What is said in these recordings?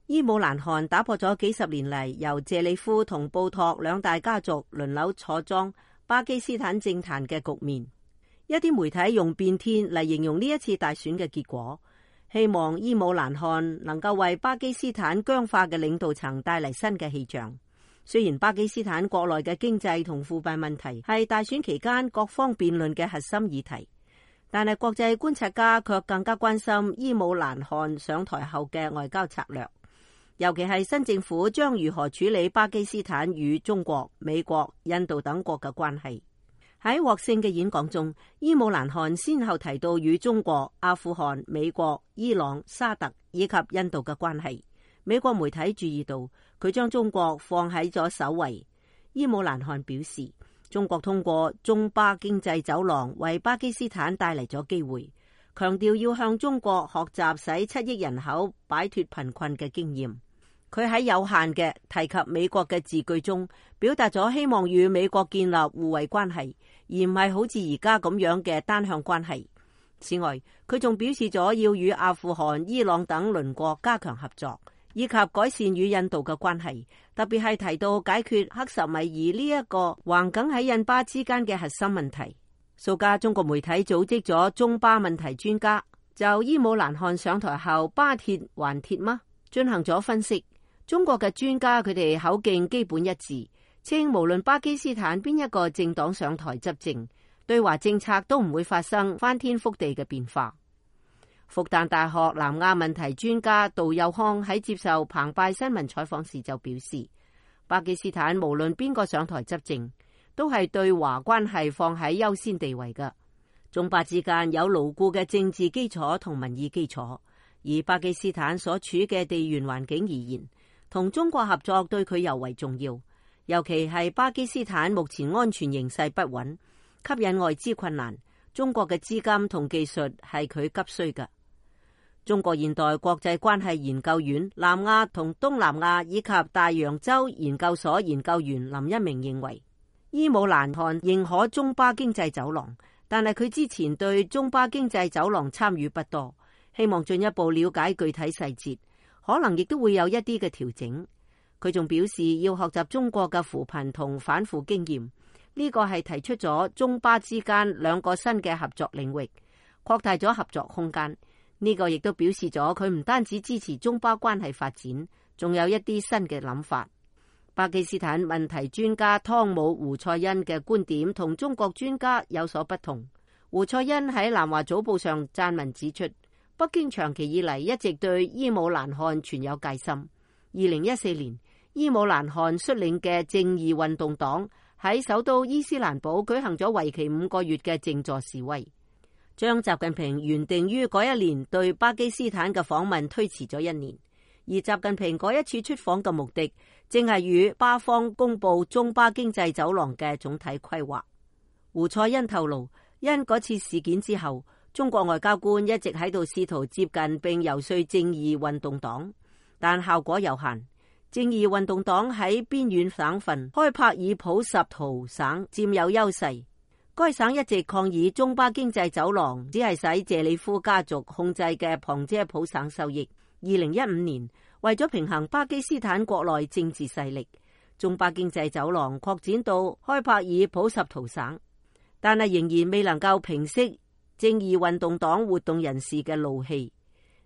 伊姆蘭汗打破咗幾十年嚟由謝里夫同布托兩大家族輪流坐莊巴基斯坦政壇嘅局面。一啲媒體用變天嚟形容呢一次大選嘅結果，希望伊姆蘭汗能夠為巴基斯坦僵化嘅領導層帶嚟新嘅氣象。雖然巴基斯坦國內嘅經濟同腐敗問題係大選期間各方辯論嘅核心議題，但係國際觀察家卻更加關心伊姆蘭汗上台後嘅外交策略，尤其係新政府將如何處理巴基斯坦與中國、美國、印度等國嘅關係。喺獲勝嘅演講中，伊姆蘭汗先後提到與中國、阿富汗、美國、伊朗、沙特以及印度嘅關係。美國媒體注意到佢將中國放喺咗首位。伊姆蘭汗表示，中國通過中巴經濟走廊為巴基斯坦帶嚟咗機會，強調要向中國學習使7億人口擺脫貧困嘅經驗。佢喺有限嘅提及美國嘅字句中，表達咗希望與美國建立互惠關係，而唔係好似而家咁樣嘅單向關係。此外，佢仲表示咗要與阿富汗、伊朗等鄰國加強合作，以及改善與印度嘅關係，特別係提到解決克什米爾呢一個橫亙喺印巴之間嘅核心問題。數家中國媒體組織咗中巴問題專家，就伊姆蘭汗上台後巴鐵還鐵嗎進行咗分析。中國嘅專家佢哋口徑基本一致，稱無論巴基斯坦邊一個政黨上台執政，對華政策都唔會發生翻天覆地嘅變化。復旦大學南亞問題專家杜佑康喺接受澎湃新聞採訪時就表示，巴基斯坦無論邊個上台執政，都係對華關係放喺優先地位嘅。中巴之間有牢固嘅政治基礎同民意基礎，而巴基斯坦所處嘅地緣環境而言，同中國合作對佢尤為重要，尤其係巴基斯坦目前安全形勢不穩，吸引外資困難，中國嘅資金同技術係佢急需嘅。中國現代國際關係研究院南亞同東南亞以及大洋洲研究所研究員林一鳴認為，伊姆蘭汗認可中巴經濟走廊，但係佢之前對中巴經濟走廊參與不多，希望進一步了解具體細節，可能亦都會有一啲嘅調整。佢仲表示要學習中國嘅扶貧同反腐經驗，呢個係提出咗中巴之間兩個新嘅合作領域，擴大咗合作空間。呢個亦都表示咗佢唔單止支持中巴關係發展，仲有一啲新嘅諗法。巴基斯坦問題專家湯姆胡賽恩嘅觀點同中國專家有所不同。胡賽恩喺南華早報上撰文指出，北京長期以嚟一直對伊姆蘭汗存有戒心。2014年，伊姆蘭汗率領嘅正義運動黨喺首都伊斯蘭堡舉行咗為期5個月嘅靜坐示威，將習近平原定於嗰一年對巴基斯坦嘅訪問推遲咗1年。而習近平嗰一次出訪嘅目的，正係與巴方公布中巴經濟走廊嘅總體規劃。胡賽恩透露，因嗰次事件之後，中國外交官一直喺度試圖接近並游說正義運動黨，但效果有限。正義運動黨喺邊遠省份開帕爾普什圖省佔有優勢，該省一直抗議中巴經濟走廊只係使謝里夫家族控制嘅旁遮普省受益。2015年，為咗平衡巴基斯坦國內政治勢力，中巴經濟走廊擴展到開帕爾普什圖省，但係仍然未能夠平息正義運動黨活動人士嘅怒氣。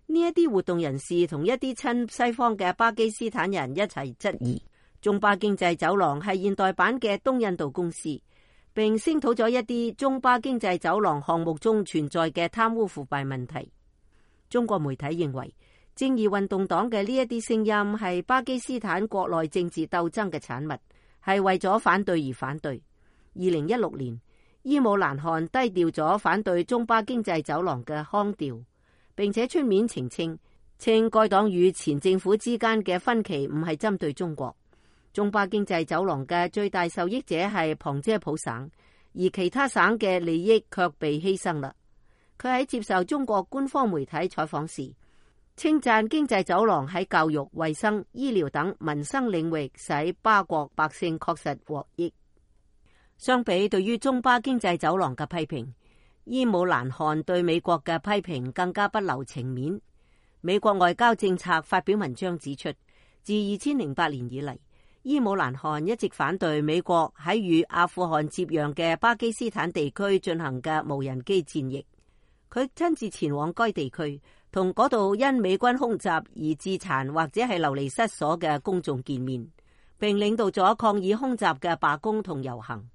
呢一啲活動人士同一啲親西方嘅巴基斯坦人一齊質疑中巴經濟走廊係現代版嘅東印度公司，並聲討咗一啲中巴經濟走廊項目中存在嘅貪污腐敗問題。中國媒體認為，正義運動黨嘅呢一啲聲音係巴基斯坦國內政治鬥爭嘅產物，係為咗反對而反對。2016年，伊姆蘭汗低調咗反對中巴經濟走廊嘅腔調，並且出面澄清，稱該黨與前政府之間嘅分歧唔係針對中國。中巴經濟走廊嘅最大受益者係旁遮普省，而其他省嘅利益卻被犧牲啦。佢喺接受中國官方媒體採訪時，稱讚經濟走廊喺教育、衛生、醫療等民生領域使巴國百姓確實獲益。相比對於中巴經濟走廊嘅批評，伊姆蘭汗對美國嘅批評更加不留情面。美國外交政策發表文章指出，自2008年以嚟，伊姆蘭汗一直反對美國喺與阿富汗接壤嘅巴基斯坦地區進行嘅無人機戰役。佢親自前往該地區，同嗰度因美軍空襲而致殘或者係流離失所嘅公眾見面，並領導咗抗議空襲嘅罷工同遊行。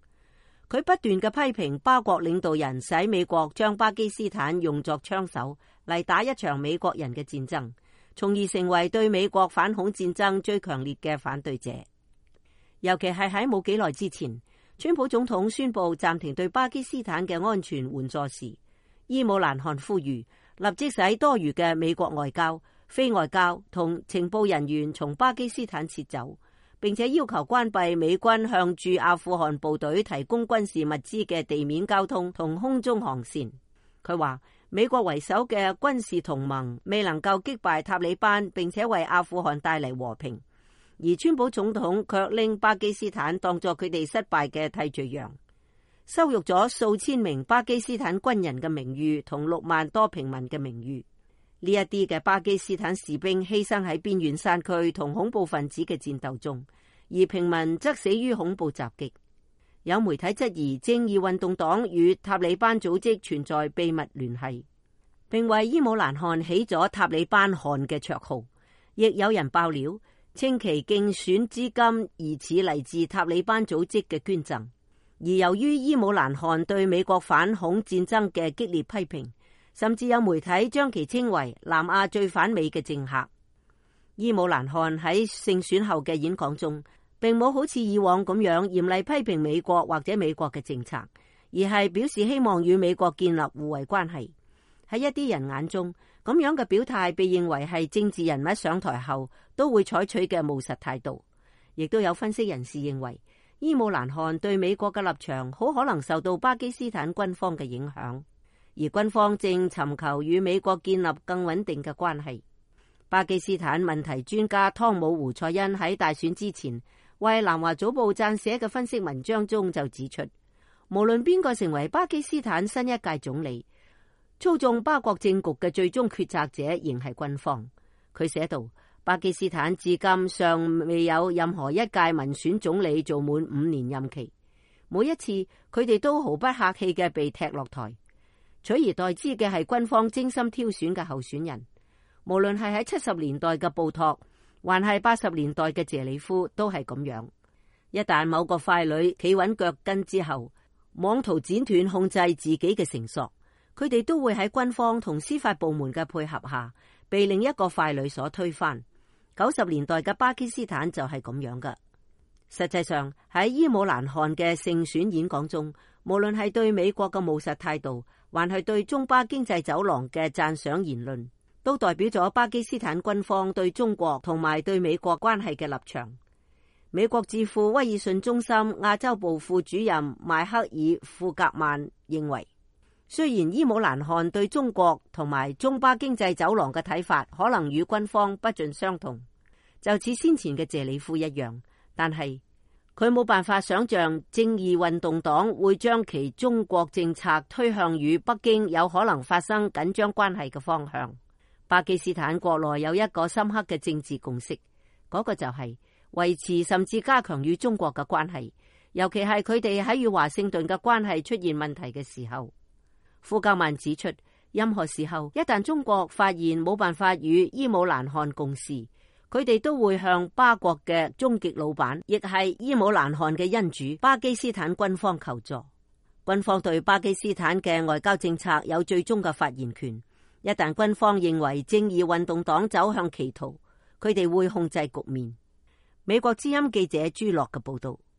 佢不斷嘅批評巴國領導人使美國將巴基斯坦用作槍手嚟打一場美國人嘅戰爭，從而成為對美國反恐戰爭最強烈嘅反對者。尤其係喺冇幾耐之前，川普總統宣布暫停對巴基斯坦嘅安全援助時，伊姆蘭汗呼籲立即使多餘嘅美國外交、非外交同情報人員從巴基斯坦撤走，並且要求關閉美軍向駐阿富汗部隊提供軍事物資嘅地面交通同空中航線。佢話美國為首嘅軍事同盟未能夠擊敗塔利班，並且為阿富汗帶嚟和平，而川普總統卻拎巴基斯坦當作佢哋失敗嘅替罪羊，羞辱咗數千名巴基斯坦軍人嘅名譽同6萬多平民嘅名譽。呢一啲嘅巴基斯坦士兵犧牲喺邊遠山區同恐怖分子嘅戰鬥中，而平民則死於恐怖襲擊。有媒體質疑正義運動黨與塔利班組織存在秘密聯繫，並為伊姆蘭汗起咗塔利班汗嘅綽號。亦有人爆料稱其競選資金疑似嚟自塔利班組織嘅捐贈。而由於伊姆蘭汗對美國反恐戰爭嘅激烈批評，甚至有媒體將其稱為南亞最反美嘅政客。伊姆蘭汗喺勝選後嘅演講中，並冇好似以往咁樣嚴厲批評美國或者美國嘅政策，而係表示希望與美國建立互惠關係。喺一啲人眼中，咁樣嘅表態被認為係政治人物上台後都會採取嘅務實態度。亦都有分析人士認為，伊姆蘭汗對美國嘅立場好可能受到巴基斯坦軍方嘅影響，而軍方正尋求與美國建立更穩定嘅關係。巴基斯坦問題專家湯姆胡塞恩喺大選之前為南華早報撰寫嘅分析文章中就指出，無論邊個成為巴基斯坦新一屆總理，操縱巴國政局嘅最終決策者仍係軍方。佢寫道，巴基斯坦至今尚未有任何一屆民選總理做滿5年任期，每一次佢哋都毫不客氣嘅被踢落台，取而代之嘅係軍方精心挑選嘅候選人。無論係喺70年代嘅布托，還係80年代嘅謝里夫，都係咁樣。一旦某個傀儡企穩腳跟之後，妄圖剪斷控制自己嘅繩索，佢哋都會喺軍方同司法部門嘅配合下，被另一個傀儡所推翻。90年代嘅巴基斯坦就係咁樣噶。實際上喺伊姆蘭汗嘅勝選演講中，無論係對美國嘅務實態度，還係對中巴經濟走廊嘅讚賞言論，都代表咗巴基斯坦軍方對中國同埋對美國關係嘅立場。美國智庫威爾遜中心亞洲部副主任邁克爾·庫格曼認為，雖然伊姆蘭汗對中國同埋中巴經濟走廊嘅睇法可能與軍方不盡相同，就似先前嘅謝里夫一樣，但係佢冇辦法想象正義運動黨會將其中國政策推向與北京有可能發生緊張關係嘅方向。巴基斯坦國內有一個深刻嘅政治共識，嗰個就係維持甚至加強與中國嘅關係，尤其係佢哋喺與華盛頓嘅關係出現問題嘅時候。庫格曼指出，任何時候一旦中國發現冇辦法與伊姆蘭汗共事，佢哋都會向巴國嘅終極老闆，亦係伊姆蘭汗嘅恩主巴基斯坦軍方求助。軍方對巴基斯坦嘅外交政策有最終嘅發言權。一旦軍方認為正義運動黨走向歧途，佢哋會控制局面。美國之音記者朱樂嘅報道。